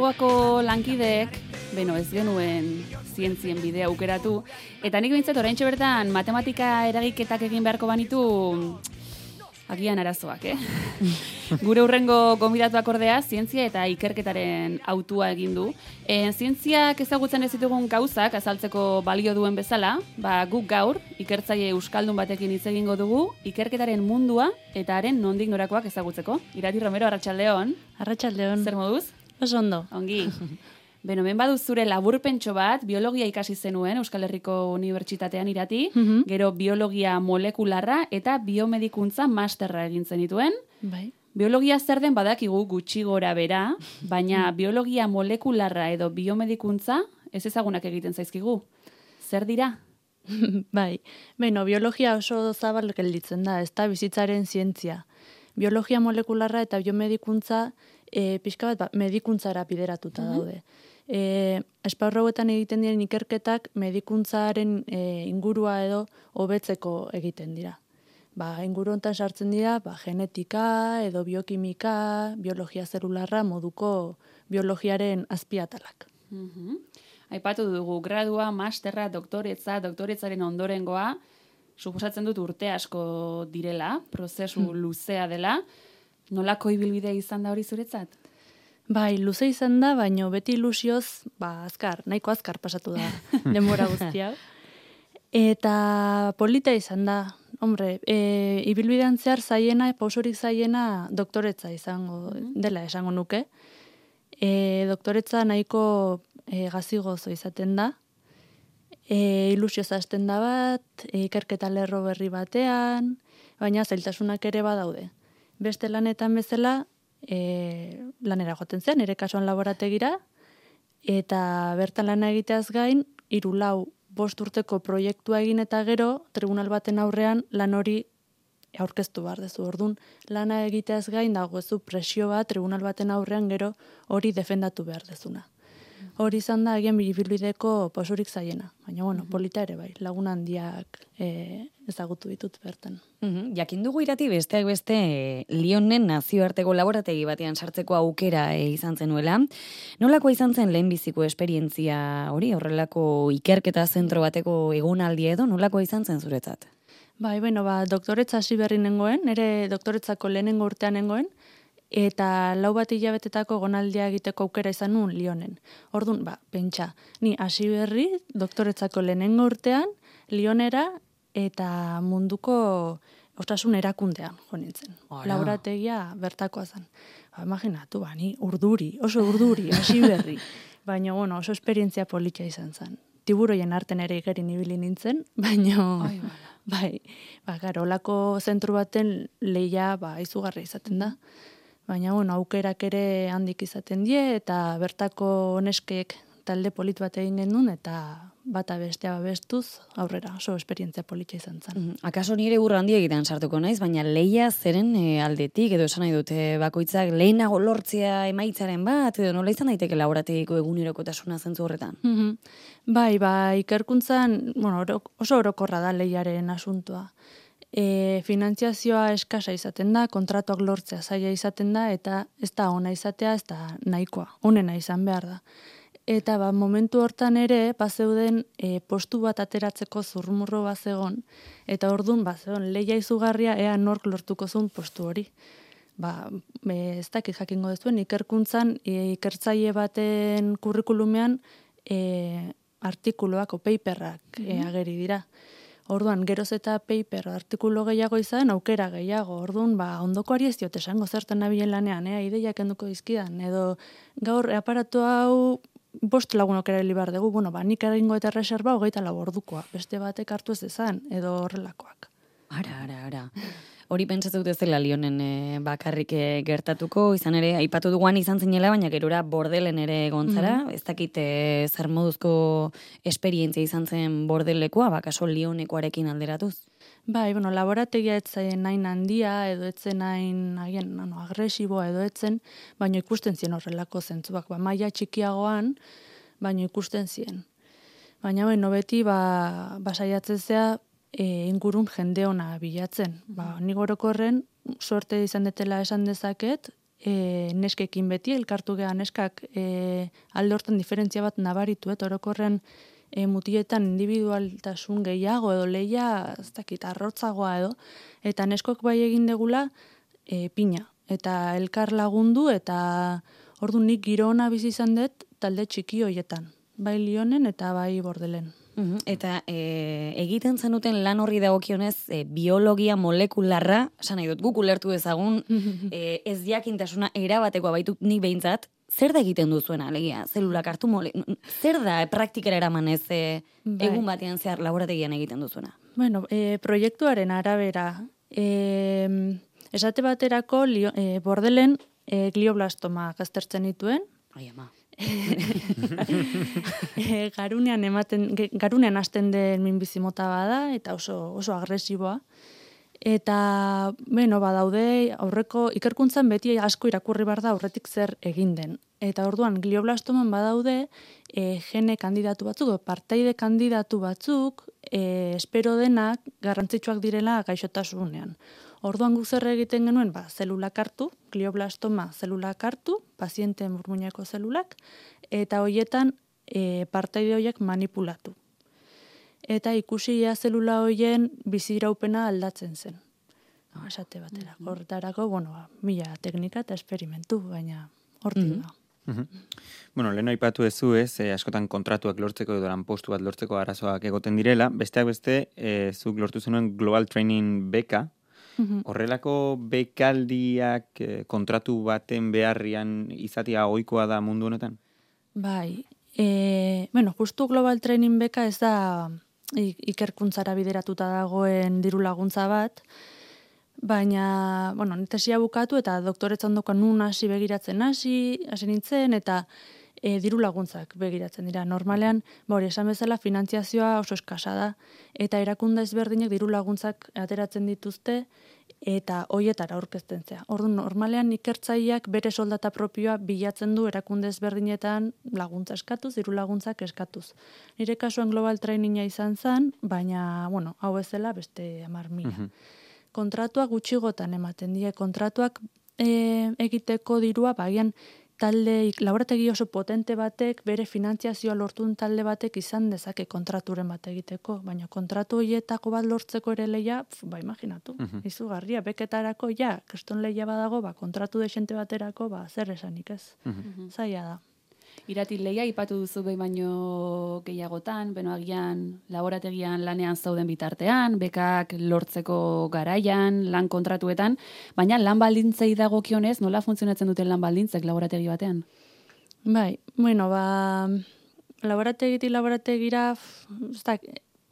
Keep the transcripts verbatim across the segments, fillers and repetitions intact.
Erkidegoako lankideek, beno, ez genuen zientzien bidea aukeratu, eta nik bintzat oraintxe bertan matematika eragiketak egin beharko banitu agian arazoak, eh? Gure hurrengo gonbidatuak ordea, zientzia eta ikerketaren autua egin du. E, zientziak ezagutzen ez ditugun gauzak azaltzeko balio duen bezala, ba, guk gaur, ikertzaile euskaldun batekin hitz egingo dugu, ikerketaren mundua eta haren nondik norakoak ezagutzeko. Irati Romero, arratsaldeon. Arratsaldeon. Zer moduz? Oso ondo. Ongi. Beno, hemen badu zure laburpentxo bat, biologia ikasi zenuen Euskal Herriko Unibertsitatean, Irati, Mhm. gero biologia molekularra eta biomedikuntza masterra egin zenituen. Bai. Biologia zer den badakigu gutxi gora bera, baina biologia molekularra edo biomedikuntza ez ezagunak egiten zaizkigu. Zer dira? Bai. Beno, biologia oso zabal gelditzen da, ez da bizitzaren zientzia. Biologia molekularra eta biomedikuntza e, pixka bat ba, medikuntzara bideratuta daude. E, esparru hauetan egiten diren ikerketak medikuntzaren e, ingurua edo hobetzeko egiten dira. Ba, inguru hontan sartzen dira ba, genetika edo biokimika, biologia zelularra moduko biologiaren azpiatalak. Mhm. Aipatu dugu, gradua, masterra, doktoretza, doktoretzaren ondorengoa, suposatzen dut urte asko direla, prozesu luzea dela. Nolako ibilbidea izan da hori zuretzat? Bai, luze izan da, baino beti ilusioz, ba, azkar, nahiko azkar pasatu da denbora guztia. Eta polita izan da, hombre, e, ibilbidean zehar zaiena, pausorik zaiena doktoretza izango dela esango nuke. E, doktoretza nahiko e, gazigozo izaten da, e, ilusioz hasten da bat, e, ikerketa lerro berri batean, baina zailtasunak ere badaude. Beste lanetan bezala, e, lanera joaten zen, ere kasuan laborategira, eta bertan lana egiteaz gain, hiru lau bost urteko proiektua egin eta gero, tribunal baten aurrean lan hori aurkeztu behar dezu. Orduan, lana egiteaz gain dagoezu presio bat, tribunal baten aurrean gero hori defendatu behar dezuna. Hori izan da, agian ibilbideko pausorik zaiena. Baina, bueno, polita ere bai, lagun handiak e, ezagutu ditut bertan. Mhm. Jakin dugu Irati besteak beste e, Lyonen nazioarteko laborategi batean sartzeko aukera e, izan zenuela. Nolakoa izan zen lehenbiziko esperientzia hori, horrelako ikerketa zentro bateko egonaldi edo, nolakoa izan zen zuretzat? Bai, bueno, ba, doktoretza hasi berri nengoen, nire doktoretzako lehenengo urtean nengoen, eta lau bat hilabetetako egonaldia egiteko aukera izan nuen Lyonen. Orduan, ba, pentsa, ni hasi berri doktoretzako lehenengo urtean Lyonera eta munduko osasun erakundean jo nintzen. Laborategia bertakoa zen. Ba, imaginatu, ba, ni urduri, oso urduri, hasi berri. Baina, bueno, oso esperientzia polita izan zen. Tiburoien arten ere igerin ibili nintzen, baina, bai, ba, gara, olako zentru baten lehia, ba, izugarri izaten da. Baina, bueno, aukerak ere handik izaten die, eta bertako neskek talde polit bat egin genuen, eta bata bestea babestuz aurrera, oso esperientzia polita izan zen. Mhm. Akaso nire burra handi egiten sartuko naiz, baina leia zeren e, aldetik, edo esan nahi dute bakoitzak lehenago lortzea emaitzaren bat, edo nola izan daiteke laborategiko egunerokotasuna zentzu horretan? Mhm. Bai, ba, ikerkuntzan, bueno, oro, oso orokorra da leiaren asuntoa. E, finantziazioa eskasa izaten da, kontratuak lortzea zaila izaten da, eta ez da ona izatea, ez da nahikoa, onena izan behar da. Eta ba, momentu hortan ere, bazeuden e, postu bat ateratzeko zurmurro bazegon, eta orduan bazegon lehia izugarria ea nork lortuko zuen postu hori. Ba, e, ez dakit jakingo dezuen, ikerkuntzan, e, ikertzaile baten kurrikulumean e, artikuluak o paperrak e, ageri dira. Orduan, geroz eta paper artikulu gehiago izan, aukera gehiago. Orduan, ba, ondokoari ez diot esango zertan nabilen lanean, eh? Ideiak enduko dizkidan. Edo, gaur, aparatu hau bost lagunok erabili behar dugu, bueno, ba, nik egingo eta reserva hogeita lau ordukoa. Beste batek hartu ez dezan, edo horrelakoak. Ara, ara, ara. Hori pentsatu dut ez dela Lyonen e, bakarrik e, gertatuko, izan ere, aipatu duguan izan zinela, baina gerora bordelen ere gontzara, mm -hmm. ez dakit e, zer moduzko esperientzia izan zen bordelekoa, bakaso Lyonekoarekin alderatuz? Bai, bueno, laborategia etzen nain handia, edo etzen nain agian, no, agresiboa edo etzen, baina ikusten zien horrelako zentzuak, ba, maila txikiagoan, baina ikusten zien. Baina, bueno, beti, ba, basaiatzen zea, E, ingurun jende ona bilatzen. Ba, nik orokorren, suerte izan detela esan dezaket, e, neskekin beti, elkartu geha neskak e, alde hortan diferentzia bat nabaritu, et orokorren e, mutietan individualtasun gehiago edo leia, ez dakit, arrotzagoa edo, eta neskok bai egin degula e, pina, eta elkar lagundu, eta ordu nik giro ona bizi izan dut talde txiki hoietan, bai Lionen eta bai Bordelen. Uhum. Eta e, egiten zenuten lan horri dagokionez e, biologia molekularra, esan nahi dut, guk ulertu dezagun, e, ez jakintasuna erabatekoa baitu nik behintzat, zer da egiten duzuena, alegia, zelulak hartu mole, zer da e, praktikara eramanez e, Bai. egun batean zehar laborategian egiten duzuena? Bueno, e, proiektuaren arabera, e, esate baterako lio, e, Bordelen e, glioblastoma aztertzen dituen, Ai, ama. e, garunean ematen garunean hasten den minbizi mota bada eta oso oso agresiboa. Eta beno badaude aurreko ikerkuntzan beti asko irakurri bar da aurretik zer egin den. Eta orduan glioblastoman badaude e, gene kandidatu batzuk, partaide kandidatu batzuk, e, espero denak garrantzitsuak direla gaixotasunean. Orduan guk zer egiten genuen, ba, zelulak hartu, glioblastoma zelulak hartu, paziente murmuñako zelulak, eta hoietan e, partaide horiek manipulatu. Eta ikusi ja zelula hoien biziraupena aldatzen zen. No, esate batera. Hortarako, bueno, ba, mila teknika eta esperimentu, baina hortik Mhm. da. Mhm. Bueno, lehen aipatu ezu ez, eh, askotan kontratuak lortzeko edo lanpostu bat lortzeko arazoak egoten direla, besteak beste, eh, zuk lortu zenuen Global Training beka, Mhm. horrelako bekaldiak eh, kontratu baten beharrian izatea ohikoa da mundu honetan? Bai, e, bueno, justu Global Training beka ez da i- ikerkuntzara bideratuta dagoen diru laguntza bat, baina, bueno, tesia bukatu eta doktoretza ondokan nun hasi begiratzen hasi, hasi nintzen, eta e, diru laguntzak begiratzen dira. Normalean, ba hori, esan bezala, finantziazioa oso eskasa da, eta erakunde ezberdinek diru laguntzak ateratzen dituzte, eta hoietara aurkezten zea. Orduan, normalean ikertzaileak bere soldata propioa bilatzen du erakunde ezberdinetan laguntza eskatuz, diru laguntzak eskatuz. Nire kasuan Global Traininga izan zen, baina, bueno, hau ezela beste hamar mila. Mhm. Kontratuak gutxigotan ematen die, kontratuak e, egiteko dirua, bagian talde, laborategi oso potente batek, bere finantziazioa lortun talde batek izan dezake kontraturen bat egiteko, baina kontratu horietako bat lortzeko ere leia, pf, ba, imaginatu, Mhm. izugarria, beketarako, ja, kriston leia badago, ba, kontratu desente baterako, ba, zer esanik ez, Mhm. zaila da. Irati leia ipatu duzu behin baino gehiagotan, beno agian laborategian lanean zauden bitartean, bekak lortzeko garaian, lan kontratuetan, baina lan baldintzei dagokionez, nola funtzionatzen duten lan baldintzek laborategi batean? Bai, bueno, ba, laborategitik laborategira, f- ez da,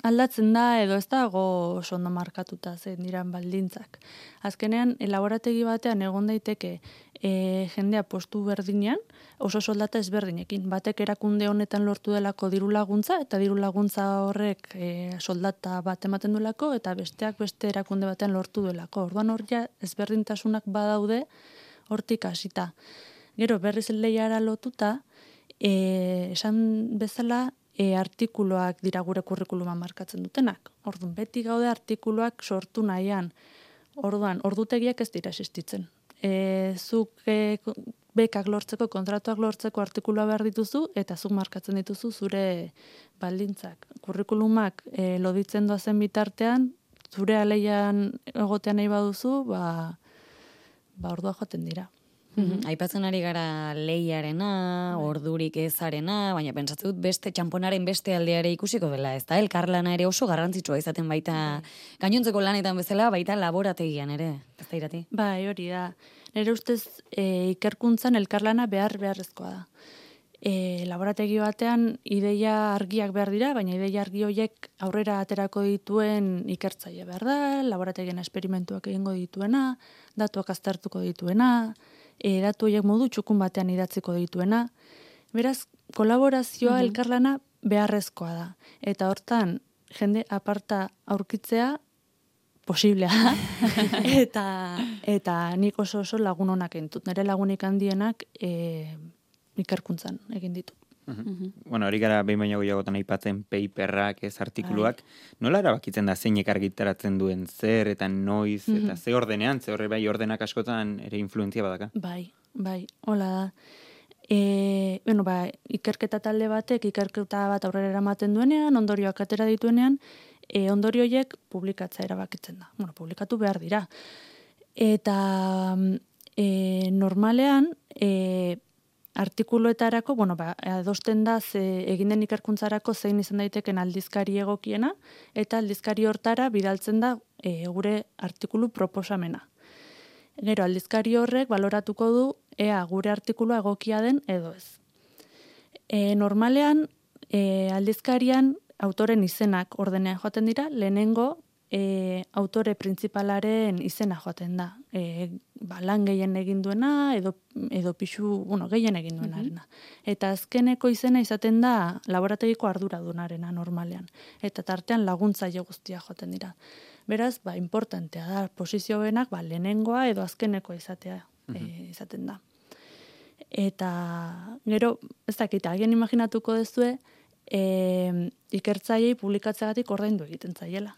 aldatzen da edo ez dago oso ondo markatuta zein diran baldintzak. Azkenean, e, laborategi batean egon daiteke e, jendea postu berdinean, oso soldata ezberdinekin. Batek erakunde honetan lortu delako diru laguntza, eta diru laguntza horrek e, soldata bat ematen duelako, eta besteak beste erakunde batean lortu duelako. Orduan hor ja ezberdintasunak badaude hortik hasita. Gero berriz lehiara lotuta, e, esan bezala, e, artikuluak dira gure kurrikuluma markatzen dutenak. Orduan, beti gaude artikuluak sortu nahian. Orduan, ordutegiak ez dira existitzen. E, zuk e, bekak lortzeko, kontratuak lortzeko artikulua behar dituzu, eta zuk markatzen dituzu zure baldintzak. Kurrikulumak e, loditzen doazen bitartean, zure aleian egotean nahi baduzu, ba, ba ordua joaten dira. Mhm. Aipatzen ari gara lehiarena, ordurik ezarena, baina pentsatzen dut beste txamponaren beste aldeare ikusiko dela, ez da? Elkarlana ere oso garrantzitsua izaten baita gainontzeko lanetan bezala, baita laborategian ere, ez da Irati? Bai, hori da. Nire ustez e, ikerkuntzan elkarlana behar beharrezkoa da. E, laborategi batean ideia argiak behar dira, baina ideia argi horiek aurrera aterako dituen ikertzaile behar da, laborategien esperimentuak egingo dituena, datuak aztertuko dituena, e, datu horiek modu txukun batean idatziko dituena. Beraz, kolaborazioa Mhm. elkarlana beharrezkoa da. Eta hortan, jende aparta aurkitzea posiblea da. eta, eta nik oso oso lagun honak entut. Nire lagunik handienak e, ikerkuntzan egin ditut. Mhm. Bueno, hori gara behin baino gehiagotan aipatzen paperrak, ez artikuluak. Nola erabakitzen da zeinek argitaratzen duen zer eta noiz, eta ze ordenean, ze horre bai ordenak askotan ere influentzia badaka? Bai, bai, hola da. E, bueno, ba, ikerketa talde batek, ikerketa bat aurrera eramaten duenean, ondorioak atera dituenean, e, ondorio horiek publikatzea erabakitzen da. Bueno, publikatu behar dira. Eta e, normalean, e, artikuluetarako, bueno, ba, adosten da ze, egin den ikerkuntzarako zein izan daiteken aldizkari egokiena, eta aldizkari hortara bidaltzen da e, gure artikulu proposamena. Gero, aldizkari horrek baloratuko du ea gure artikulua egokia den edo ez. E, normalean, e, aldizkarian autoren izenak ordenean joaten dira, lehenengo e, autore printzipalaren izena joaten da. E, ba, lan gehien egin duena edo, edo pixu, bueno, gehien egin duenarena. Eta azkeneko izena izaten da laborategiko arduradunarena normalean. Eta tartean laguntzaile guztia joaten dira. Beraz, ba, importantea da, posizio benak, ba, lehenengoa edo azkenekoa izatea e, izaten da. Eta, gero, ez dakit, agian imaginatuko dezue, e, ikertzaileei publikatzeagatik ordaindu egiten zaiela.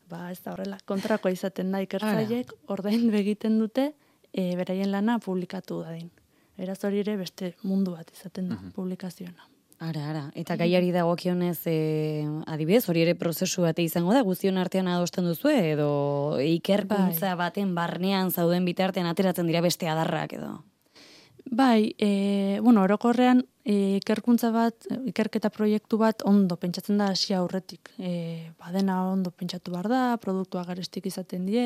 Ba, ez da horrela, kontrakoa izaten da, ikertzaileek ordaindu egiten dute, e, beraien lana publikatu dadin. Beraz hori ere beste mundu bat izaten da, publikazioena. Ara, ara. Eta gaiari dagokionez, e, adibidez, hori ere prozesu bate izango da, guztion artean adosten duzu, edo ikerkuntza baten barnean zauden bitartean ateratzen dira beste adarrak edo? Bai, e, bueno, orokorrean e, ikerkuntza bat, ikerketa proiektu bat ondo pentsatzen da hasi aurretik. E, badena ondo pentsatu behar da, produktua garestik izaten die,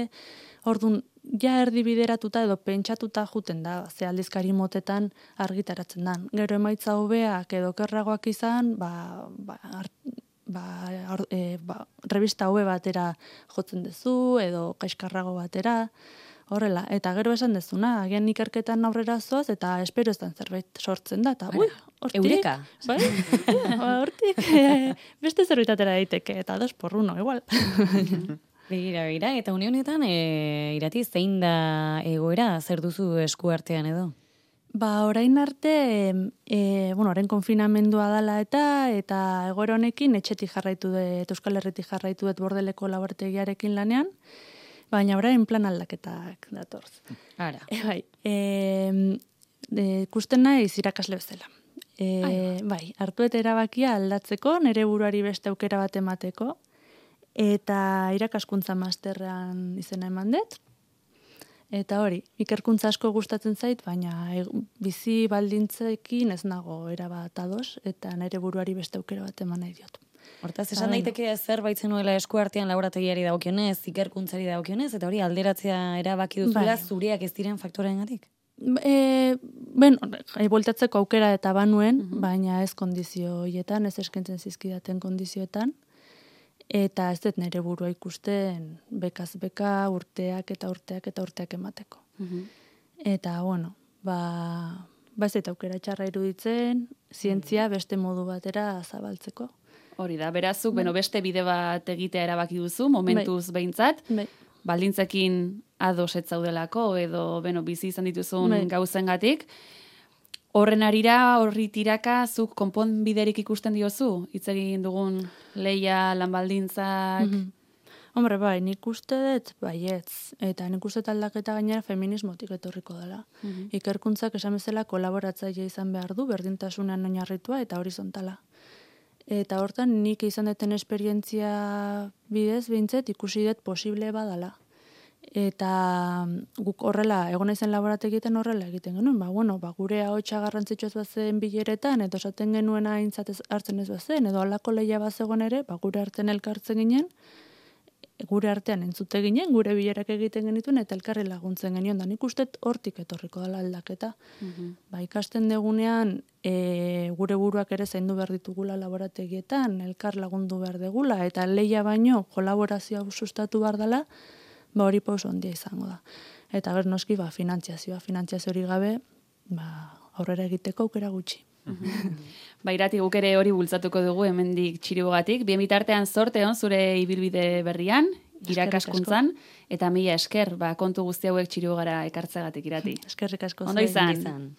orduan, ja erdibideratuta edo pentsatuta juten da, ze aldizkari motetan argitaratzen dan. Gero emaitza hobeak edo kerragoak izan, ba, ba, art, ba, ar, e, ba, revista hobe batera jotzen duzu, edo kaiskarrago batera, horrela. Eta gero esan dezuna, agian ikerketan aurrera zoaz, eta espero ez zerbait sortzen da, eta ui, hortik, Eureka. Bai, hortik, e, beste zerbaitatera daiteke, eta dos por uno, igual. Begira, begira, eta une honetan, e, irati, zein da egoera, zer duzu esku artean edo? Ba, orain arte, e, bueno, orain konfinamendua dala eta, eta egoera honekin etxetik jarraitu dut, Euskal Herritik jarraitu dut Bordeleko laborategiarekin lanean, baina orain plan aldaketak datorz. Ara. E, bai, e, e, ikusten naiz irakasle bezala. E, bai, hartu eta erabakia aldatzeko, nire buruari beste aukera bat emateko, eta irakaskuntza masterran izena eman dut. Eta hori, ikerkuntza asko gustatzen zait, baina e, bizi baldintzekin ez nago erabat ados, eta nire buruari beste aukera bat eman nahi diot. Hortaz, esan daiteke zer baitzen nuela esku artean laborategiari dagokionez, ikerkuntzari dagokionez, eta hori alderatzea erabaki duzula zureak ez diren faktoreengatik? E, ben, e, voltatzeko aukera eta banuen, uh-huh. baina ez kondizio hoietan, ez eskentzen zizkidaten kondizioetan, eta ez dut nire burua ikusten bekaz beka, urteak eta urteak eta urteak emateko. Uh-huh. Eta, bueno, ba, ba ez eta aukera txarra iruditzen, zientzia beste modu batera zabaltzeko. Hori da, berazuk, bai. Beno, beste bide bat egitea erabaki duzu, momentuz bai. Behintzat, bai. Baldintzekin ados ez zaudelako, edo beno, bizi izan dituzun bai. Gauzengatik. Horren arira, horri tiraka, zuk konponbiderik ikusten diozu? Hitz egin dugun leia, lanbaldintzak... Mm-hmm. Hombre, bai, nik uste dut, baietz. Eta nik uste aldaketa gainera feminismotik etorriko dela. Mm-hmm. Ikerkuntzak esan bezala kolaboratzaile izan behar du, berdintasunean oinarritua eta horizontala. Eta hortan nik izan duten esperientzia bidez, behintzet, ikusi dut posible badala. Eta guk horrela, egon naizen laborategietan horrela egiten genuen, ba, bueno, ba, gure ahotsa garrantzitsuaz bazen bileretan, edo esaten genuen aintzat hartzen ez bazen, edo alako lehia bazegon ere, ba, gure artean elkartzen ginen, gure artean entzute ginen, gure bilerak egiten genituen, eta elkarri laguntzen genion, da nik uste hortik etorriko dela aldaketa. Uh-huh. Ba, ikasten degunean, e, gure buruak ere zaindu behar ditugula laborategietan, elkar lagundu behar degula, eta lehia baino kolaborazioa sustatu behar dela, ba hori pauso handia izango da. Eta ber noski ba finantziazioa, finantziazio hori gabe, ba aurrera egiteko aukera gutxi. Ba irati guk ere hori bultzatuko dugu hemendik Txirugatik. Bien bitartean zorte on zure ibilbide berrian, irakaskuntzan eta mila esker, ba kontu guzti hauek Txirugara ekartzeagatik irati. Eskerrik asko. Ondo izan.